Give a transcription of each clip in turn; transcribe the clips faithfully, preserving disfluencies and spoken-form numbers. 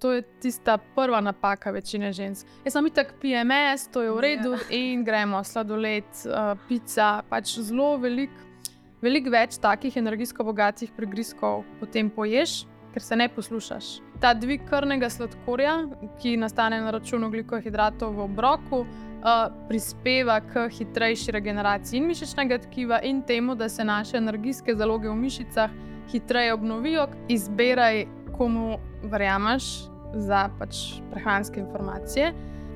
to je tista prva napaka večine žensk. Jaz sem itak P M S, to je v redu yeah. in gremo sladoled, uh, pica, pač zelo velik, veliko več takih energijsko bogatih prigrizkov potem poješ, ker se ne poslušaš. Ta dvig krvnega sladkorja, ki nastane na račun ogljikohidratov v obroku, uh, prispeva k hitrejši regeneraciji in mišičnega tkiva in temu, da se naše energijske zaloge v mišicah hitreje obnovijo. Izberaj, komu verjameš za pač prehranske informacije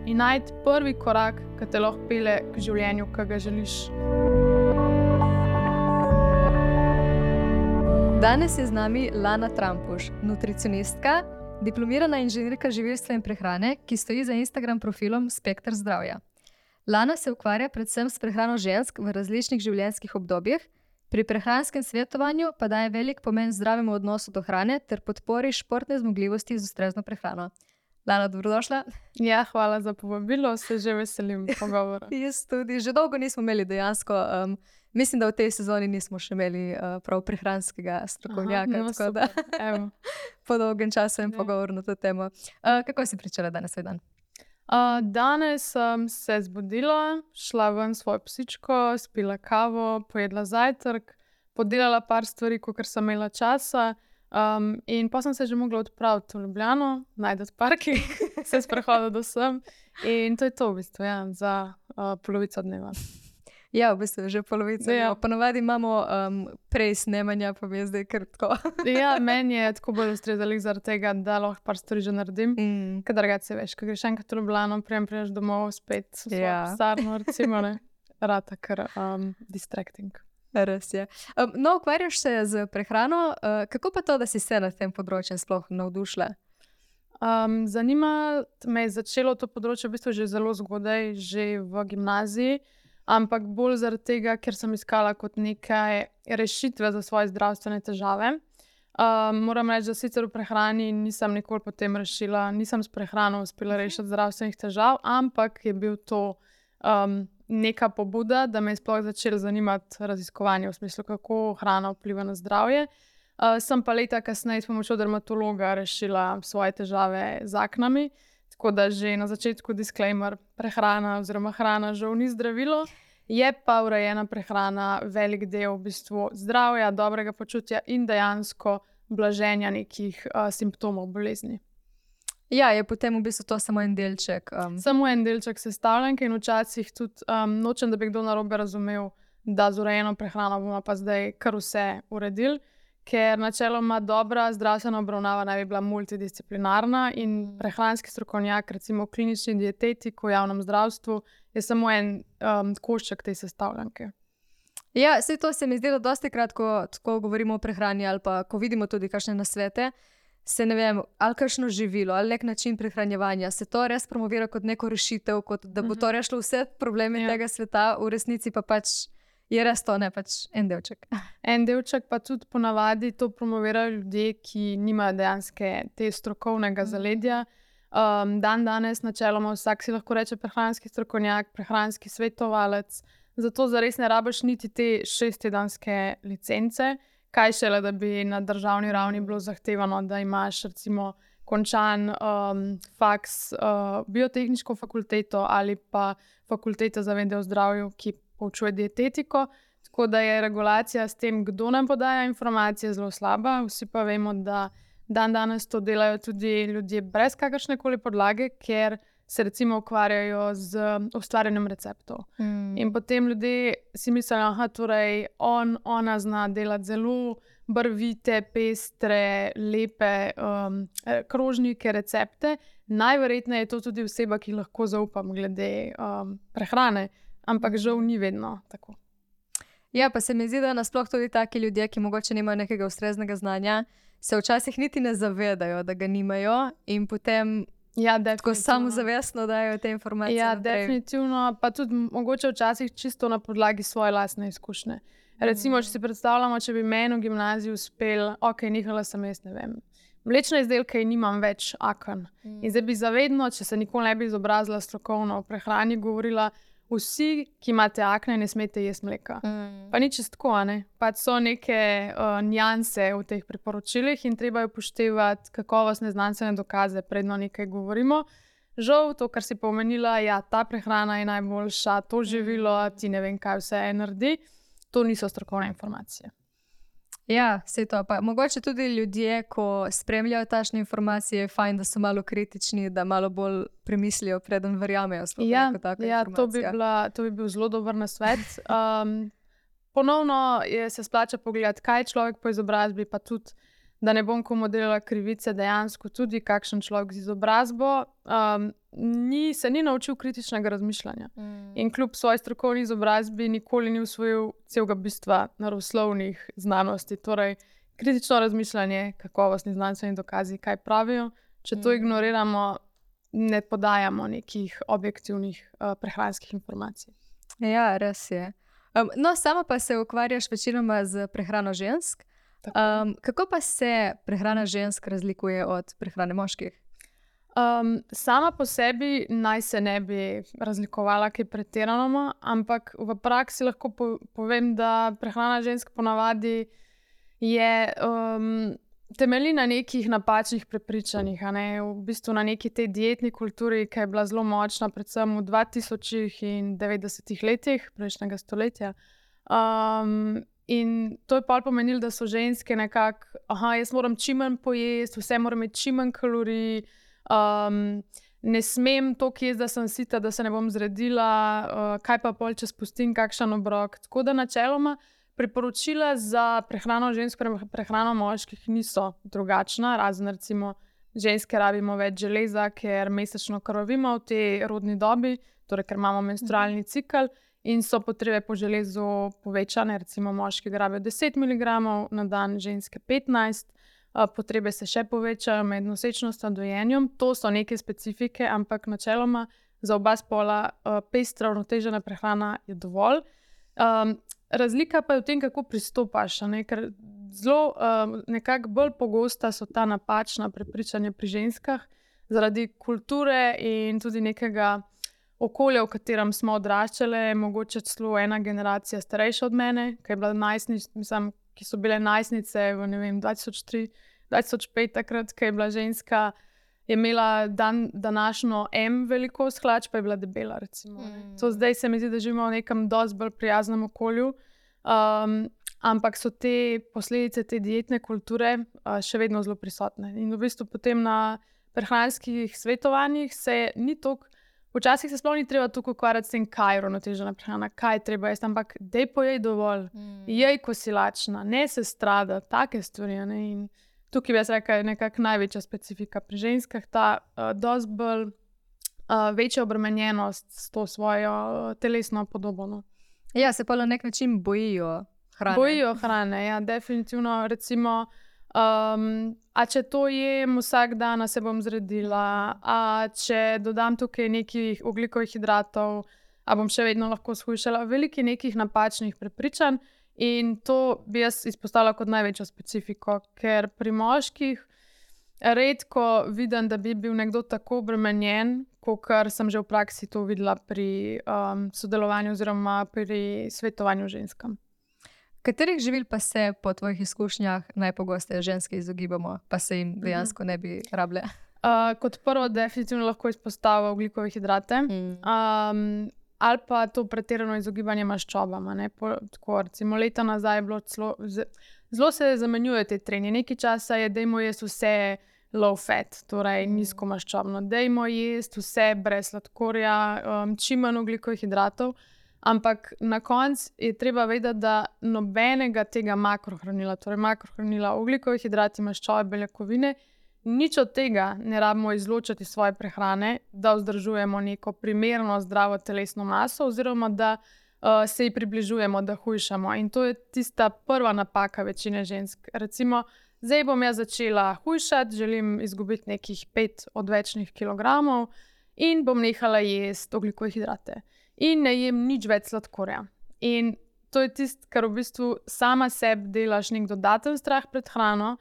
in najti prvi korak, ki te lahko pelje k življenju, ki ga želiš. Danes je z nami Lana Trampuš, nutricionistka, diplomirana inženirka živilstva in prehrane, ki stoji za Instagram profilom Spekter zdravja. Lana se ukvarja predvsem s prehrano žensk v različnih življenjskih obdobjih, pri prehranskem svetovanju pa daje velik pomen zdravemu odnosu do hrane ter podpori športne zmogljivosti z ustrezno prehrano. Lana, dobrodošla. Ja, hvala za povabilo, se že veselim pogovora. Jaz tudi, že dolgo nismo imeli dejansko, um, mislim, da v tej sezoni nismo še imeli uh, prav prehranskega strokovnjaka, Aha, no, tako da po dolgem času in pogovor na to temo. Uh, kako si pričala danes svoj dan? Uh, danes sem se zbudila, šla ven svojo psičko, spila kavo, pojedla zajtrk, podelala par stvari, kakor sem imela časa um, in pa sem se že mogla odpraviti v Ljubljano, najti parking, se sprehodila do sem in to je to v bistvu, ja, za uh, polovico dneva. Ja, v bistvu že polovica. Ja. Ponavadi imamo um, prej snemanja, pa mi je zdaj kar tako. Ja, meni je tako bolj ustrezalo zaradi tega, da lahko par stvari že naredim. Mm. Ker drugače veš, ko greš enkrat v Ljubljano, prijem priješ domov spet v svojo ja. pisarno, recimo, ne. Rata kar um, distracting. Res je. Um, no, ukvarjaš se z prehrano. Uh, kako pa to, da si se na tem področju sploh navdušila? Um, zanima me je začelo to področje v bistvu že zelo zgodaj, že v gimnaziji. Ampak bolj zaradi tega, ker sem iskala kot nekaj rešitve za svoje zdravstvene težave. Um, moram reči, da sicer v prehrani nisem nikoli potem rešila, nisem s prehrano uspela rešiti zdravstvenih težav, ampak je bil to um, neka pobuda, da me je sploh začelo zanimati raziskovanje v smislu, kako hrana vpliva na zdravje. Uh, sem pa leta kasneje s pomočjo dermatologa rešila svoje težave z aknami. Tako da že na začetku disclaimer, prehrana oziroma hrana žal ni zdravilo, je pa urejena prehrana velik del v bistvu zdravja, dobrega počutja in dejansko blaženja nekih uh, simptomov bolezni. Ja, je potem v bistvu to samo en delček. Um... Samo en delček sestavljanke in včasih tudi um, nočem, da bi kdo narobe razumel, da z urejeno prehrano bomo pa zdaj kar vse uredili. Ker načeloma dobra zdravstvena obravnava naj bi bila multidisciplinarna in prehranski strokovnjak, recimo klinični dietetik v javnem zdravstvu, je samo en um, košček te sestavljanke. Ja, saj to se mi zdi, da dosti krat, ko, ko govorimo o prehrani ali pa ko vidimo tudi kakšne nasvete, se ne vem, ali kakšno živilo, ali nek način prehranjevanja, se to res promovira kot neko rešitev, kot da bo to rešilo vse probleme ja. tega sveta, v resnici pa pač je res to, ne pač en delček. En delček pa tudi ponavadi to promovirajo ljudje, ki nimajo dejanske te strokovnega zaledja. Um, dan danes načeloma vsak si lahko reče prehranski strokovnjak, prehranski svetovalec, zato zares ne rabiš niti te šesttedenske licence, kaj šele, da bi na državni ravni bilo zahtevano, da imaš recimo končan um, faks, uh, biotehniško fakulteto ali pa fakulteto za vede o zdravju, ki poučuje dietetiko, tako da je regulacija s tem, kdo nam podaja informacije, zelo slaba. Vsi pa vemo, da dan danes to delajo tudi ljudje brez kakršnekoli podlage, ker se recimo ukvarjajo z ustvarjanjem receptov. Mm. In potem ljudje si mislijo, da torej on, ona zna delati zelo barvite, pestre, lepe um, krožnike, recepte. Najverjetneje je to tudi oseba, ki lahko zaupam glede um, prehrane. Ampak žal ni vedno tako. Ja, pa se mi zdi, da nasploh tudi taki ljudje, ki mogoče nimajo nekega ustreznega znanja, se včasih niti ne zavedajo, da ga nimajo in potem ja, tako samozavestno dajo te informacije. Ja, naprej. definitivno, pa tudi mogoče včasih čisto na podlagi svoje lastne izkušnje. Recimo, če si predstavljamo, če bi meni v gimnaziji uspel, ok, nehala sem jaz, ne vem, mlečne izdelke in nimam več aken. Mm. In zdaj bi zavedno, če se nikoli ne bi izobrazila strokovno o prehrani, govorila, vsi, ki imate akne, ne smete jesti mleka. Mm. Pa ni čisto tako, ne. Pač so neke uh, nianse v teh priporočilih in treba je upoštevati kakovostne znanstvene dokaze, predno nekaj govorimo. Žal, to, kar si pomenila, ja, ta prehrana je najboljša, to živilo, ti ne vem, kaj vse naredi, to niso strokovne informacije. Ja, vse to. Pa mogoče tudi ljudje, ko spremljajo takšne informacije, je fajn, da so malo kritični, da malo bolj premislijo, preden verjamejo sploh ja, neko tako ja, informacijo. To bi, bila, to bi bil zelo dober nasvet. Um, ponovno je se splača pogledati, kaj je človek po izobrazbi, pa tudi, da ne bom komu delala krivice, dejansko tudi kakšen človek z izobrazbo um, ni, se ni naučil kritičnega razmišljanja. Mm. In kljub svoji strokovni izobrazbi nikoli ni usvojil celega bistva naravoslovnih znanosti. Torej, kritično razmišljanje, kakovostni znanstveni dokazi, kaj pravijo. Če to mm. ignoriramo, ne podajamo nekih objektivnih uh, prehranskih informacij. Ja, res je. Um, no, sama pa se ukvarjaš večinoma z prehrano žensk. Um, kako pa se prehrana žensk razlikuje od prehrane moških? Um, sama po sebi naj se ne bi razlikovala kaj pretirano, ampak v praksi lahko po, povem, da prehrana žensk ponavadi je um, temelji na nekih napačnih prepričanjih, a ne? V bistvu na neki tej dietni kulturi, ki je bila zelo močna, predvsem v dvatisočih in devetdesetih letih prejšnjega stoletja. Um, In to je pa pomenilo, da so ženske nekako, aha, jaz moram čim manj pojesti, vse moram imeti čim manj kalorij, um, ne smem toliko jesti, da sem sita, da se ne bom zredila, uh, kaj pa pol, če spustim kakšen obrok. Tako da načeloma priporočila za prehrano žensk, prehrano moških niso drugačna, razen recimo ženske rabimo več železa, ker mesečno krvavimo v tej rodni dobi, torej ker imamo menstrualni cikel. In so potrebe po železu povečane, recimo moški rabijo deset miligramov na dan, ženske petnajst, potrebe se še povečajo med nosečnostjo in dojenjem. To so neke specifike, ampak načeloma za oba spola pestra, uravnotežena prehrana je dovolj. Um, razlika pa je v tem, kako pristopaš, ne? Ker zelo um, nekako bolj pogosta so ta napačna prepričanja pri ženskah zaradi kulture in tudi nekega okolje, v katerem smo odraščali, mogoče celo ena generacija starejša od mene, ki, je bila najstnic, mislim, ki so bile najstnice v ne vem, dva tisoč tri dva tisoč pet, takrat, ki je bila ženska, je imela dan, današnjo M velikost hlač, pa je bila debela. Recimo, mm. To zdaj se mi zdi, da živimo v nekem dosti bolj prijaznem okolju, um, ampak so te posledice te dietne kulture uh, še vedno zelo prisotne. In v bistvu potem na prehranskih svetovanjih se ni toliko. Včasih se sploh ni treba tukaj ukvarjati s tem, kaj je uravnotežena prehrana, kaj je treba jesti, ampak dej pojej dovolj, mm. jej, ko si lačna, ne se strada, take stvari. Ne? In tukaj bi jaz rekla, je nekako največja specifika pri ženskah, ta uh, dosti bolj uh, večja obremenjenost s to svojo uh, telesno podobo. No? Ja, se pa na nek način bojijo hrane. Bojijo hrane, ja, definitivno. Recimo, Um, a če to jem vsak dan, se bom zredila, a če dodam tukaj nekih ogljikovih hidratov, a bom še vedno lahko shujšala. Veliko nekih napačnih prepričanj in to bi jaz izpostavila kot največjo specifiko, ker pri moških redko vidim, da bi bil nekdo tako obremenjen, kot sem že v praksi to videla pri um, sodelovanju oziroma pri svetovanju ženskam. Katerih živil pa se po tvojih izkušnjah najpogosteje ženske izogibamo, pa se jim dejansko ne bi rabile? Uh, kot prvo, definitivno lahko izpostavimo ogljikove hidrate, mm. um, ali pa to pretirano izogibanje maščobam. Po, tako, recimo, leta nazaj je bilo celo, zelo se zamenjuje te trenje. Nekaj časa je, dajmo jesti vse low fat, torej mm. nizko maščobno, dajmo jesti vse brez sladkorja, um, čim manj ogljikovih hidratov. Ampak na koncu je treba vedeti, da nobenega tega makrohranila, torej makrohranila, ogljikovi hidrati, maščobe, beljakovine, nič od tega ne rabimo izločiti iz svoje prehrane, da vzdržujemo neko primerno zdravo telesno maso oziroma da uh, se ji približujemo, da hujšamo. In to je tista prva napaka večine žensk. Recimo, zdaj bom jaz začela hujšati, želim izgubiti nekih pet odvečnih kilogramov in bom nehala jesti ogljikove hidrate. In ne jem nič več sladkorja. In to je tisto, kar v bistvu sama sebi delaš nek dodaten strah pred hrano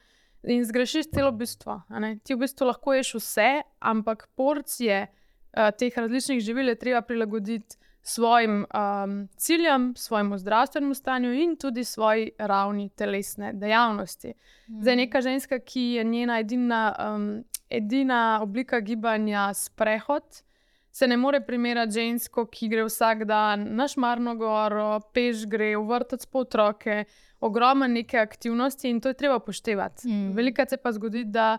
in zgrešiš celo bistvo. Ti v bistvu lahko ješ vse, ampak porcije uh, teh različnih živil je treba prilagoditi svojim um, ciljem, svojemu zdravstvenemu stanju in tudi svoji ravni telesne dejavnosti. Mm. Zdaj, neka ženska, ki je njena edina, um, edina oblika gibanja sprehod, se ne more primerjati žensko, ki gre vsak dan na Šmarno goro, peš gre, v vrtec po otroke, ogromno neke aktivnosti in to je treba upoštevati. Mm. Velikokrat se pa zgodi, da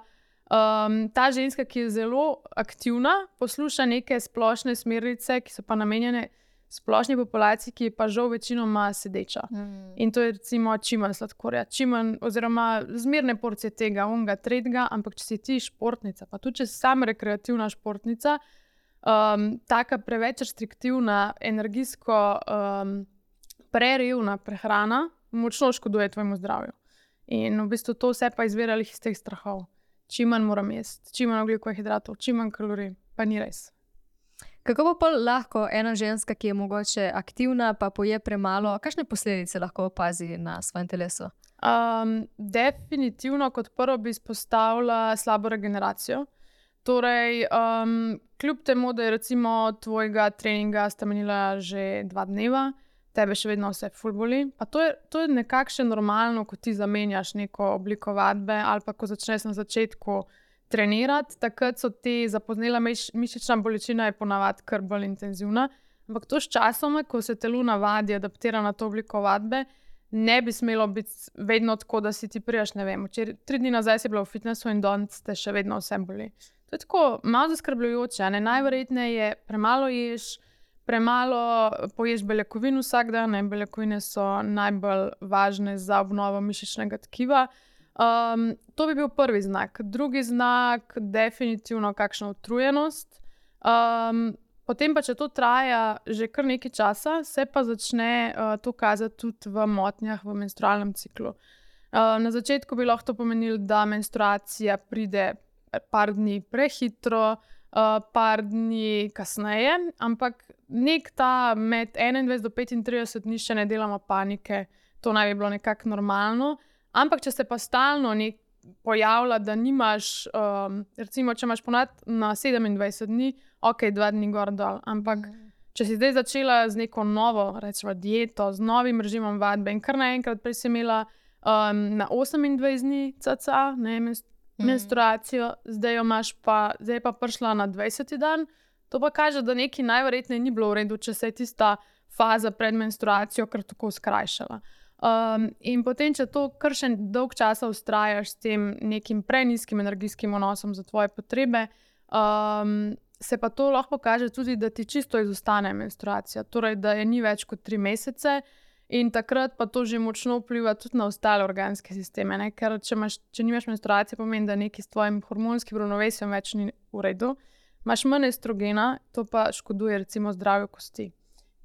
um, ta ženska, ki je zelo aktivna, posluša neke splošne smernice, ki so pa namenjene splošni populaciji, ki je pa žal večinoma sedeča. Mm. In to je recimo čim manj sladkorja, čim manj, oziroma zmerne porcije tega, onga, tretjega, ampak če si ti športnica, pa tudi če si sama rekreativna športnica, um, taka preveč restriktivna, energijsko um, prerevna prehrana močno škoduje tvojemu zdravju. In v bistvu to vse pa izvira iz teh strahov. Čim manj moram jesti, čim manj ogljikovih hidratov, čim manj kalorij, pa ni res. Kako pa pol lahko ena ženska, ki je mogoče aktivna, pa poje premalo, kakšne posledice lahko opazi na svojem telesu? Um, definitivno kot prvo bi izpostavila slabo regeneracijo. Torej, um, kljub temu, da je recimo tvojega treninga sta menila že dva dneva, tebe še vedno vse ful boli. Pa to je, to je nekakšne normalno, ko ti zamenjaš neko obliko vadbe ali pa ko začneš na začetku trenirati, takrat so te zapoznela miš, mišična bolečina je ponavadi kar bolj intenzivna, ampak to s časom, ko se telo navadi, adaptira na to obliko vadbe, ne bi smelo biti vedno tako, da si ti prijaš, ne vem, včeraj, tri dni nazaj si bila v fitnessu in danes te še vedno vse boli. To je tako malo zaskrbljujoče, ne? Najverjetneje je premalo ješ, premalo poješ beljakovin vsak dan, ne? Beljakovine so najbolj važne za obnovo mišičnega tkiva. Um, to bi bil prvi znak. Drugi znak, definitivno kakšna utrujenost. Um, potem pa, če to traja že kar nekaj časa, se pa začne uh, to kazati tudi v motnjah v menstrualnem ciklu. Uh, na začetku bi lahko to pomenilo, da menstruacija pride par dni prehitro, uh, par dni kasneje, ampak nek ta med enaindvajset do petintrideset dni še ne delamo panike, to naj bi bilo nekako normalno. Ampak, če se pa stalno nek pojavlja, da nimaš, um, recimo, če imaš ponad na sedemindvajset dni, ok, dva dni gor dol, ampak če si zdaj začela z neko novo, rečemo, dieto, z novim režimom vadbe in kar naenkrat prej si imela um, na osemindvajset dni cca, ne, menstruacijo, zdaj jo imaš pa, zdaj je pa prišla na dvajseti dan, to pa kaže, da nekaj najverjetneje ni bilo v redu, če se je tista faza pred menstruacijo kar tako skrajšala. Um, in potem, če to kar še dolg časa vztrajaš s tem nekim prenizkim energijskim vnosom za tvoje potrebe, um, se pa to lahko kaže tudi, da ti čisto izostane menstruacija, torej da je ni več kot tri mesece in takrat pa to že močno vpliva tudi na ostale organske sisteme, ne? Ker če, imaš, če nimaš menstruacije, pomeni, da nekaj s tvojim hormonskim ravnovesjem več ni v redu, imaš manj estrogena, to pa škoduje recimo zdravju kosti.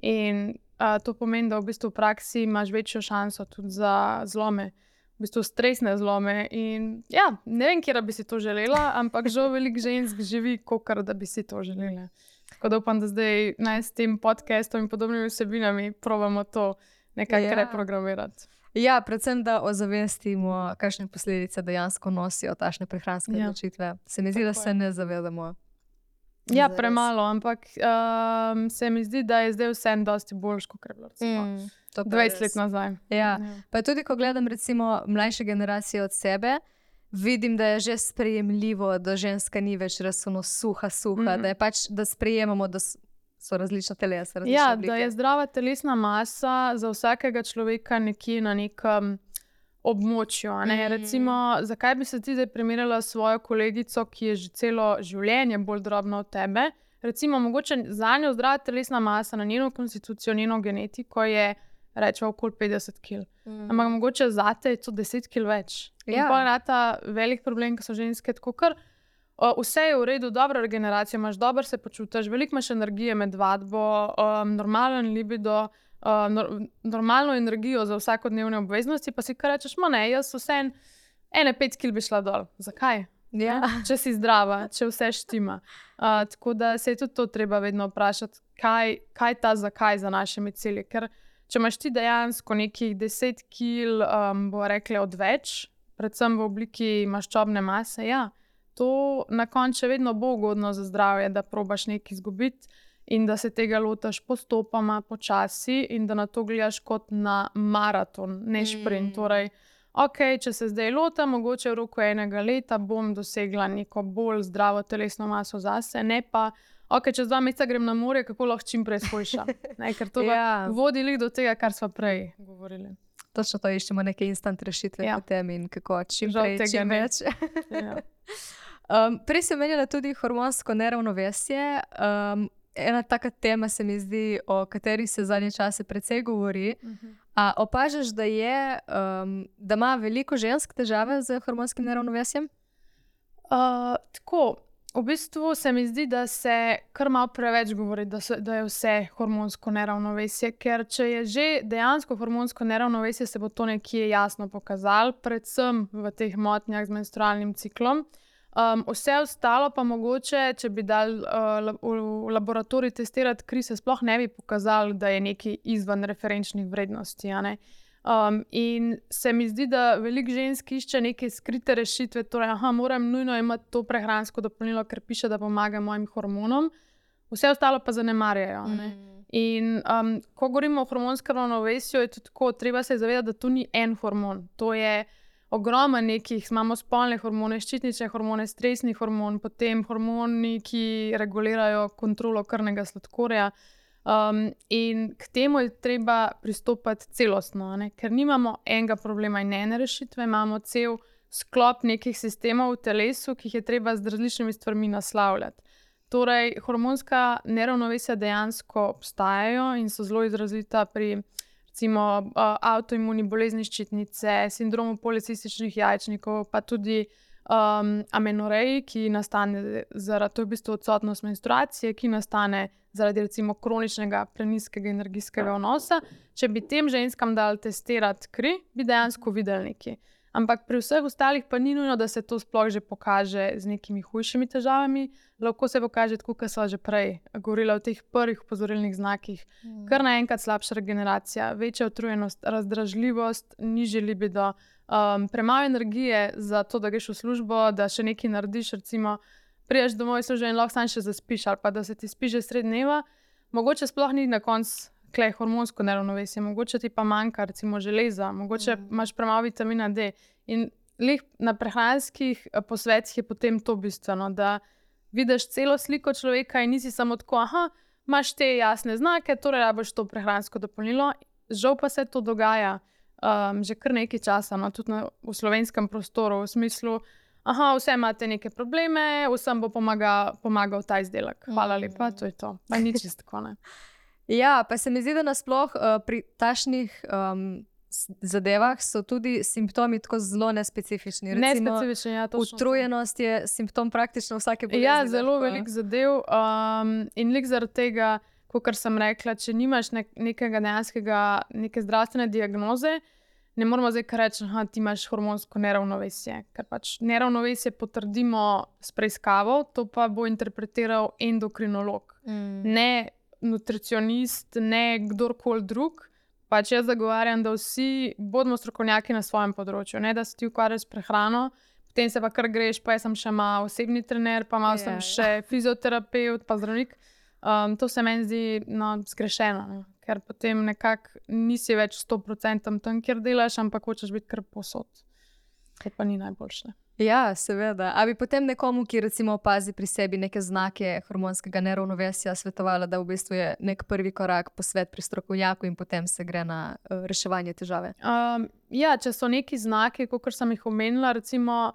In Uh, to pomeni, da v bistvu v praksi imaš večjo šanso tudi za zlome, v bistvu stresne zlome. In ja, ne vem, kje bi si to želela, ampak žal veliko žensk živi, kakor da bi si to želela. Tako da upam, da zdaj naj s tem podcastom in podobnimi vsebinami probamo to nekako ja. reprogramirati. Ja, predvsem, da ozavestimo, kakšne posledice dejansko nosijo takšne prehranske odločitve. Ja. Se mi zdi, da se ne zavedamo. Ja, premalo, ampak um, se mi zdi, da je zdaj vse dosti boljš, kot je bilo mm, dvajset let nazaj. Ja. Ja. Pa tudi, ko gledam recimo mlajše generacije od sebe, vidim, da je že sprejemljivo, da ženska ni več razsuno suha, suha, mm-hmm. da je pač, da sprejemamo, da so različna telesa, različne ja, oblike. Da je zdrava telesna masa za vsakega človeka nekje na nekem območju. Ne? Mm. Recimo, zakaj bi se ti zdaj primerjala s svojo kolegico, ki je že celo življenje bolj drobna od tebe? Recimo, mogoče za njo zdrava telesna masa na njeno konstitucijo, njeno genetiko je, rečemo, okoli petdeset kilogramov. Mm. Ampak mogoče zate je to deset kilogramov več. Ja. In pa je ta velik problem, ko so ženske tako kar o, vse je v redu, dobra regeneracija, imaš dobro se počutiš, veliko imaš energije med vadbo, um, normalen libido, Uh, no, normalno energijo za vsakodnevne obveznosti, pa si kar rečeš, ma ne, jaz vse en, ene pet kil bi šla dol. Zakaj? Ja. Če si zdrava, če vse štima. Uh, tako da se je tudi to treba vedno vprašati, kaj, kaj ta zakaj za našimi cilji. Ker če imaš ti dejansko nekih deset kil, um, bo rekli odveč, predvsem v obliki maščobne mase, ja, to na koncu vedno bo ugodno za zdravje, da probaš nekaj izgubiti. in da se tega lotaš postopoma, počasi in da na to gledaš kot na maraton, ne šprint. Mm. Torej, ok, če se zdaj lotam, mogoče v roku enega leta bom dosegla neko bolj zdravo telesno maso zase, ne pa, ok, čez dva meseca grem na morje, kako lahko čim prej shujšam. Ker to ja. vodi do tega, kar smo prej govorili. Točno to iščemo, neke instant rešitve ja. potem in kako čim Žal prej, čim ne. več. ja. um, prej si omenjala tudi hormonsko neravnovesje. Um, ena taka tema se mi zdi, o kateri se zadnje čase precej govori. Uh-huh. A opažaš, da je, um, da ima veliko žensk težave z hormonskim neravnovesjem? Uh, tako, v bistvu se mi zdi, da se kar malo preveč govori, da, so, da je vse hormonsko neravnovesje, ker če je že dejansko hormonsko neravnovesje, se bo to nekje jasno pokazalo, predvsem v teh motnjah z menstrualnim ciklom. Um, vse ostalo pa mogoče, če bi dal uh, v laboratorij testirati kri, se sploh ne bi pokazalo, da je nekaj izven referenčnih vrednosti. A ne? Um, in se mi zdi, da veliko žensk išče neke skrite rešitve, torej, aha, moram nujno imeti to prehransko dopolnilo, ker piše, da pomaga mojim hormonom, vse ostalo pa zanemarjajo. Mm. In um, ko govorimo o hormonskem ravnovesju, je tudi tako, treba se zavedati, da to ni en hormon, to je ogromno nekih, imamo spolne hormone, ščitnične hormone, stresni hormon, potem hormoni, ki regulirajo kontrolo krvnega sladkorja. Um, in k temu je treba pristopati celostno, ne? Ker nimamo enega problema in ene rešitve, imamo cel sklop nekih sistemov v telesu, ki jih je treba z različnimi stvarmi naslavljati. Torej, hormonska neravnovesja dejansko obstajajo in so zelo izrazita pri recimo uh, avtoimuni bolezni ščitnice, sindromu policističnih jajčnikov, pa tudi um, amenoreji, ki nastane zaradi, to je v bistvu odsotnost menstruacije, ki nastane zaradi recimo kroničnega prenizkega energijskega vnosa. Če bi tem ženskam dali testirati kri, bi dejansko videli nekaj. Ampak pri vseh ostalih pa ni nujno, da se to sploh že pokaže z nekimi hujšimi težavami. Lahko se pokaže tako, kot sva že prej govorila o teh prvih opozorilnih znakih. Mm. Kar naenkrat slabša regeneracija, večja utrujenost, razdražljivost, nižji libido, um, premalo energije za to, da greš v službo, da še nekaj narediš, recimo priješ domov iz službe in lahko sam še zaspiš, ali pa da se ti spi že sred dneva, mogoče sploh ni na koncu klej hormonsko neravnovesje, mogoče ti pa manjka recimo železa, mogoče mm. imaš premalo vitamina D. In lih na prehranskih posvetih je potem to bistveno, da vidiš celo sliko človeka in nisi samo tako, aha, imaš te jasne znake, torej rabiš to prehransko dopolnilo. Žal pa se to dogaja um, že kar nekaj časa, no, tudi na, v slovenskem prostoru, v smislu, aha, vse imate neke probleme, vsem bo pomaga, pomagal ta izdelek. Hvala lepa, to je to. Pa ni čisto tako, ne. Ja, pa se mi zdi, da nasploh uh, pri takšnih um, zadevah so tudi simptomi tako zelo nespecifični. Recimo, nespecifični, ja, točno. Utrujenost je simptom praktično vsake bolezni. Ja, zelo velik zadev um, in lik zaradi tega, kot sem rekla, če nimaš nek, nekega dejanskega, neke zdravstvene diagnoze, ne moramo zdaj kar reči, da ti imaš hormonsko neravnovesje. Ker pač neravnovesje potrdimo s preiskavo, to pa bo interpretiral endokrinolog. Mm. Ne nutricionist, ne kdorkoli drug. Pač jaz zagovarjam, da vsi bodimo strokovnjaki na svojem področju, ne da se ti ukvarjaš s prehrano, potem se pa kar greš, pa jaz sem še malo osebni trener, pa malo yeah, sem še yeah. fizioterapeut, pa zdravnik. Um, to se meni zdi no, zgrešeno, ne? Ker potem nekako nisi več sto procentov tam, kjer delaš, ampak hočeš biti kar posod. To pa ni najboljše. Ja, seveda. A bi potem nekomu, ki recimo opazi pri sebi neke znake hormonskega neravnovesja, svetovala, da v bistvu je nek prvi korak posvet pri strokovnjaku in potem se gre na uh, reševanje težave? Um, ja, če so neki znaki, kot sem jih omenila, recimo,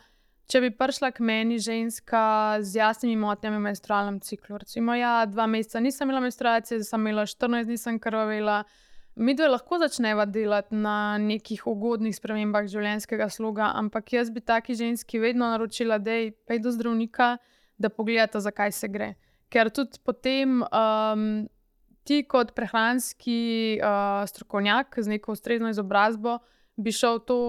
če bi prišla k meni ženska z jasnimi motnjami v menstrualnem ciklu, recimo, ja, dva meseca nisem imela menstruacije, zdaj sem imela štirinajst dni, sem krvavela. Mi dve lahko začneva delati na nekih ugodnih spremembah življenjskega sloga, ampak jaz bi taki ženski vedno naročila, da je pej do zdravnika, da pogledata, zakaj se gre. Ker tudi potem um, ti kot prehranski uh, strokovnjak z neko ustrezno izobrazbo bi šel to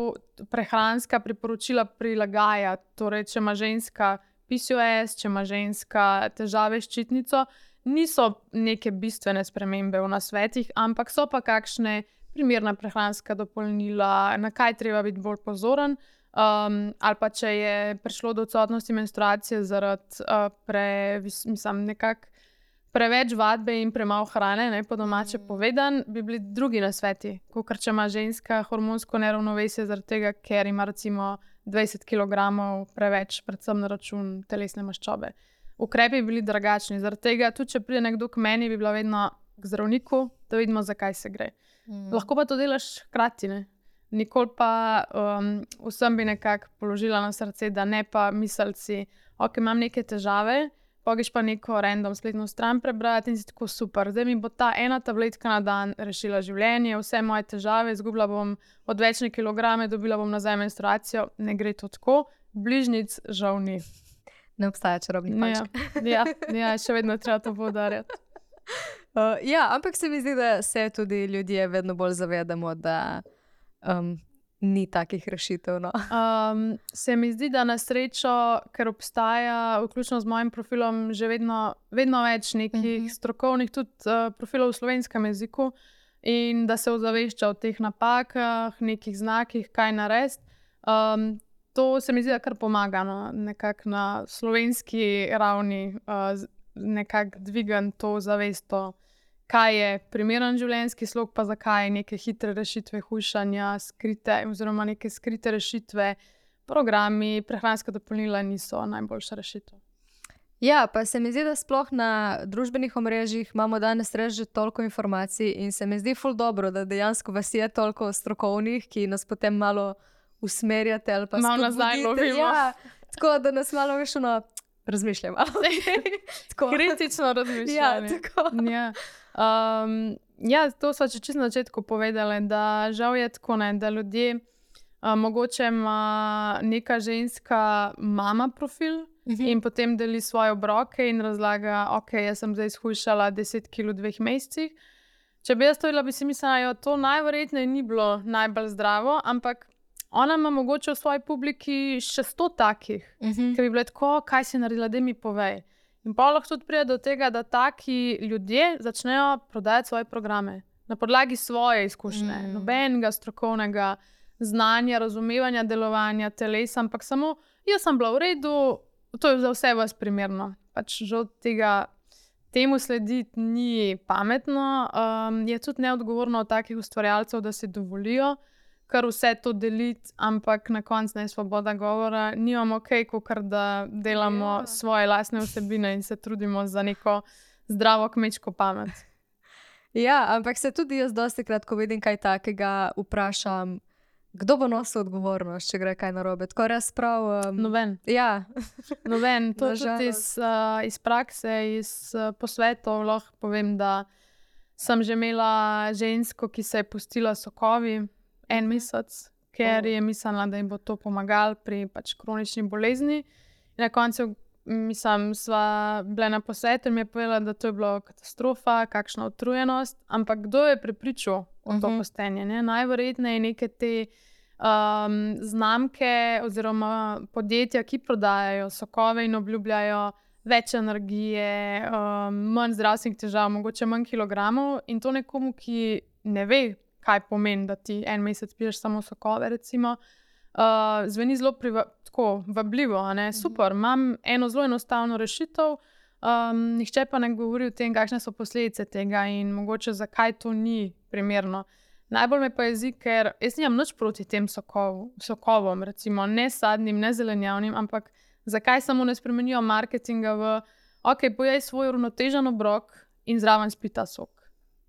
prehranska priporočila prilagajati. Torej, če ima ženska P C O S, če ima ženska težave s ščitnico, niso neke bistvene spremembe v nasvetih, ampak so pa kakšne primerna prehranska dopolnila, na kaj treba biti bolj pozoren, um, ali pa če je prišlo do odsotnosti menstruacije zaradi uh, pre, mislim, nekak preveč vadbe in premalo hrane, ne, po domače mm. povedan, bi bili drugi nasveti. Kakor če ima ženska hormonsko neravnovesje zaradi tega, ker ima recimo dvajset kilogramov preveč, predvsem na račun telesne maščobe. Ukrepi bi bili drugačni. Zaradi tega, tudi če pride nekdo k meni, bi bila vedno k zdravniku, da vidimo, zakaj se gre. Mm. Lahko pa to delaš hkrati, ne. Nikoli pa um, vsem bi nekako položila na srce, da ne pa mislci, ok, imam neke težave, pogeš pa neko random spletno stran prebrati in si tako super. Zdaj mi bo ta ena tabletka na dan rešila življenje, vse moje težave, izgubila bom odvečne kilograme, dobila bom nazaj menstruacijo. Ne gre to tako, bližnjic žal ni. Ne obstaja čarobni palček. Ja, ja, ja, še vedno treba to poudarjati. Uh, ja, ampak se mi zdi, da se tudi ljudje vedno bolj zavedamo, da um, ni takih rešitev. No. Um, se mi zdi, da na srečo, ker obstaja, vključno z mojim profilom, že vedno, vedno več nekih uh-huh. strokovnih tudi uh, profilov v slovenskem jeziku in da se ozavešča o teh napakah, nekih znakih, kaj narediti. Um, to se mi zdi, da kar pomaga, no, nekako na slovenski ravni uh, nekako dvigati to zavesto, kaj je primeren življenjski slog, pa zakaj neke hitre rešitve hujšanja, skrite, oziroma neke skrite rešitve, programi, prehranska dopolnila niso najboljša rešitev. Ja, pa se mi zdi, da sploh na družbenih omrežjih imamo danes res že toliko informacij in se mi zdi ful dobro, da dejansko vas je toliko strokovnih, ki nas potem malo usmerjate ali pa malo nazaj lovimo. Ja, tako da nas malo veš ono razmišljamo. Kritično razmišljanje. Ja, tako. Ja. Um, ja, to sva če čisto na začetku povedali, da žal je tako, ne, da ljudje, uh, mogoče ima neka ženska mama profil uh-huh. in potem deli svoje obroke in razlaga, ok, jaz sem zdaj shujšala deset kil v dveh mesecih. Če bi jaz stojila, bi si mislila, jo, to najverjetneje ni bilo najbolj zdravo, ampak ona ima mogoče v svoji publiki še sto takih, uh-huh. ki bi bile tako, kaj si naredila, da mi povej. In pa lahko tudi pride do tega, da taki ljudje začnejo prodajati svoje programe na podlagi svoje izkušnje, mm. nobenega strokovnega znanja, razumevanja delovanja telesa, ampak samo jaz sem bila v redu, to je za vse vas primerno. Pač žal tega temu slediti ni pametno, um, je tudi neodgovorno od takih ustvarjalcev, da si dovolijo kar vse to deliti, ampak na koncu ne svoboda govora. Nimamo ok, kakor da delamo yeah. svoje lastne vsebine in se trudimo za neko zdravo kmečko pamet. Ja, ampak se tudi jaz dostikrat, ko vidim kaj takega, vprašam, kdo bo nosil odgovornost, če gre kaj narobe. Tako res prav... Um, Noben. Ja. Noben. To tudi iz, uh, iz prakse, iz uh, posvetov lahko povem, da sem že imela žensko, ki se je pustila sokovi en mesec, ker je mislila, da jim bo to pomagalo pri pač kronični bolezni. In na koncu, mislim, sva bile na posvetu in mi je povedala, da to je bilo katastrofa, kakšna utrujenost, ampak kdo je prepričal o to postenje? Ne? Najverjetneje neke te um, znamke oziroma podjetja, ki prodajajo sokove in obljubljajo več energije, um, manj zdravstvenih težav, mogoče manj kilogramov in to nekomu, ki ne ve, kaj pomeni, da ti en mesec piješ samo sokove, recimo, uh, zveni zelo priva- tako vabljivo, a ne? Super, imam eno zelo enostavno rešitev, um, nihče pa ne govori o tem, kakšne so posledice tega in mogoče zakaj to ni primerno. Najbolj me pa jezi, ker jaz nimam nič proti tem sokov, sokovom, recimo, ne sadnim, ne zelenjavnim, ampak zakaj samo ne spremenijo marketinga v, ok, pojej svoj uravnotežen obrok in zraven spi ta sok.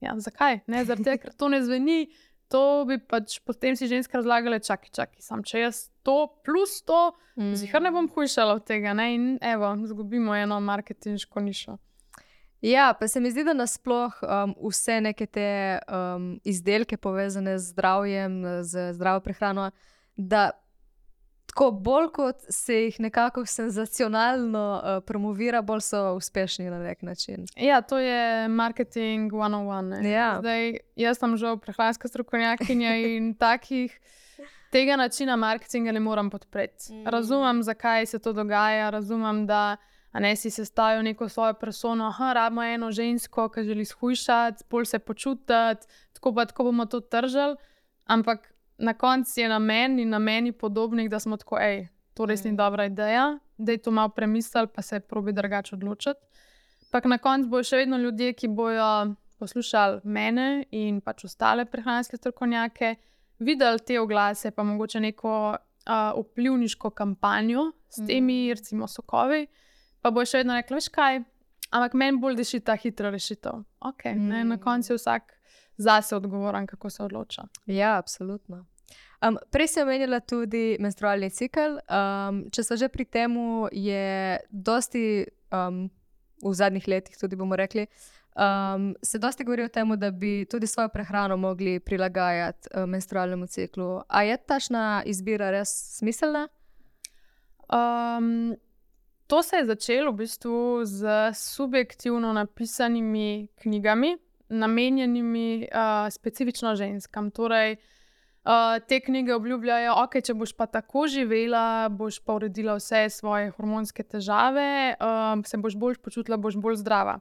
Ja, zakaj? Ne, zaradi tega, ker to ne zveni, to bi pač potem si ženska razlagala, čaki, čaki, sam če jaz to plus to, mm. zihar ne bom hujšala od tega, ne, in evo, zgubimo eno marketinško nišo. Ja, pa se mi zdi, da nasploh um, vse neke te um, izdelke povezane z zdravjem, z zdravo prehrano, da tako bolj kot se jih nekako senzacionalno uh, promovira, bolj so uspešni na nek način. Ja, to je marketing one on one. Ja. Zdaj, jaz sem žal prehranska strokovnjakinja in takih tega načina marketinga ne moram podpreti. Mm. Razumem, zakaj se to dogaja, razumem, da a ne si sestavil neko svojo persono, aha, rabimo eno žensko, ki želi shujšati, bolj se počutiti, tako pa tako bomo to tržili, ampak na koncu je na meni in na meni podobnih, da smo tako, ej, to res ni dobra ideja, da je to malo premislili, pa se probi drugače odločiti. Ampak na koncu bojo še vedno ljudje, ki bojo poslušali mene in pač ostale prehranske strokovnjake, videli te oglase, pa mogoče neko uh, vplivniško kampanjo s temi, mm. recimo, sokovi, pa bojo še vedno rekli, veš kaj, ampak meni bolj diši ta hitra rešitev. Okay, mm. ne, na koncu je vsak zase odgovoren, kako se odloča. Ja, absolutno. Um, prej si omenila tudi menstrualni cikel. Um, če so že pri temu, je dosti, um, v zadnjih letih tudi bomo rekli, um, se dosti govori o tem, da bi tudi svojo prehrano mogli prilagajati uh, menstrualnemu ciklu. A je tašna izbira res smiselna? Um, to se je začelo v bistvu z subjektivno napisanimi knjigami, namenjenimi uh, specifično ženskam. Torej, Uh, te knjige obljubljajo, ok, če boš pa tako živela, boš pa uredila vse svoje hormonske težave, uh, se boš bolj počutila, boš bolj zdrava.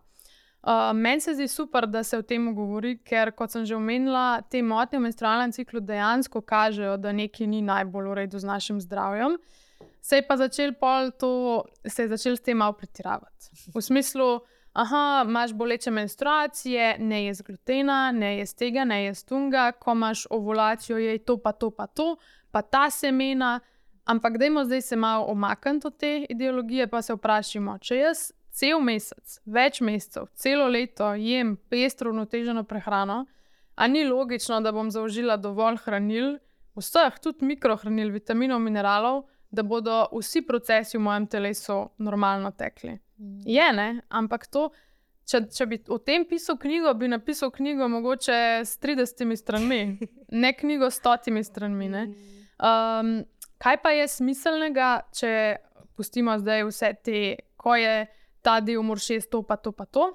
Uh, meni se zdi super, da se o tem govori, ker, kot sem že omenila, te motnje v menstrualnem ciklu dejansko kažejo, da nekaj ni najbolj v redu z našim zdravjem. Se je pa začel pol to, se je začel s tem malo pretiravati. V smislu, aha, imaš boleče menstruacije, ne jez glutena, ne jez tega, ne jez tunga, ko imaš ovulacijo, je to pa to pa to, pa ta semena, ampak dajmo zdaj se malo omakniti od te ideologije, pa se vprašimo, če jaz cel mesec, več mesecev, celo leto jem pestro uravnoteženo prehrano, a ni logično, da bom zaužila dovolj hranil, vseh, tudi mikrohranil, vitaminov, mineralov, da bodo vsi procesi v mojem telesu normalno tekli. Je, ne? Ampak to, če, če bi o tem pisal knjigo, bi napisal knjigo mogoče s tridesetimi stranmi, ne knjigo s stotimi stranmi. Ne? Um, kaj pa je smiselnega, če pustimo zdaj vse te, ko je ta del moraš jesti to, pa to, pa to?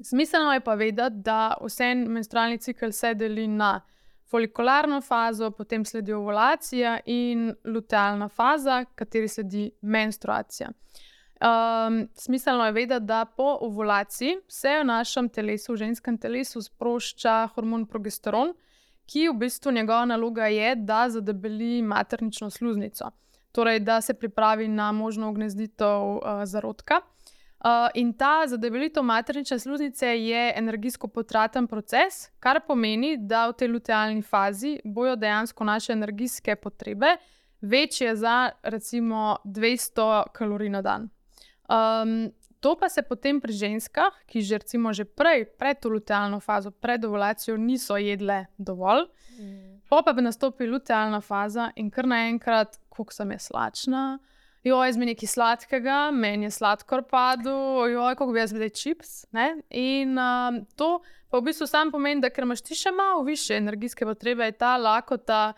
Smiselno je pa vedeti, da vse menstrualni cikel se deli na folikularno fazo, potem sledi ovulacija in lutealna faza, kateri sledi menstruacija. Um, smiselno je vedeti, da po ovulaciji se v našem telesu, v ženskem telesu, sprošča hormon progesteron, ki v bistvu njegova naloga je, da zadebeli maternično sluznico. Torej, da se pripravi na možno ugnezditev uh, zarodka. Uh, in ta zadebelitev maternične sluznice je energijsko potraten proces, kar pomeni, da v tej lutealni fazi bojo dejansko naše energijske potrebe večje za recimo dvesto kalorij na dan. Um, to pa se potem pri ženskah, ki že recimo že prej, pred to lutealno fazo, pred ovulacijo niso jedle dovolj, mm. pa pa bi nastopi lutealna faza in kar naenkrat, koliko sem je slačna, joj, zmi nekaj sladkega, meni je sladkor padel, joj, koliko bi jaz zdaj čips, ne? In um, to pa v bistvu sam pomeni, da ker imaš ti še malo više energijske potrebe, je ta lakota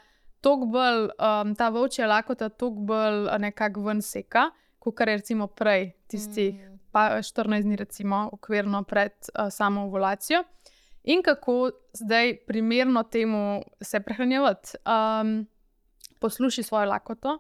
toliko bolj, um, ta volčja lakota toliko bolj nekako ven seka, kar je recimo prej, tistih mm. pa štirinajst dni recimo okvirno pred uh, samo ovulacijo. In kako zdaj primerno temu se prehranjevati? Um, posluši svojo lakoto.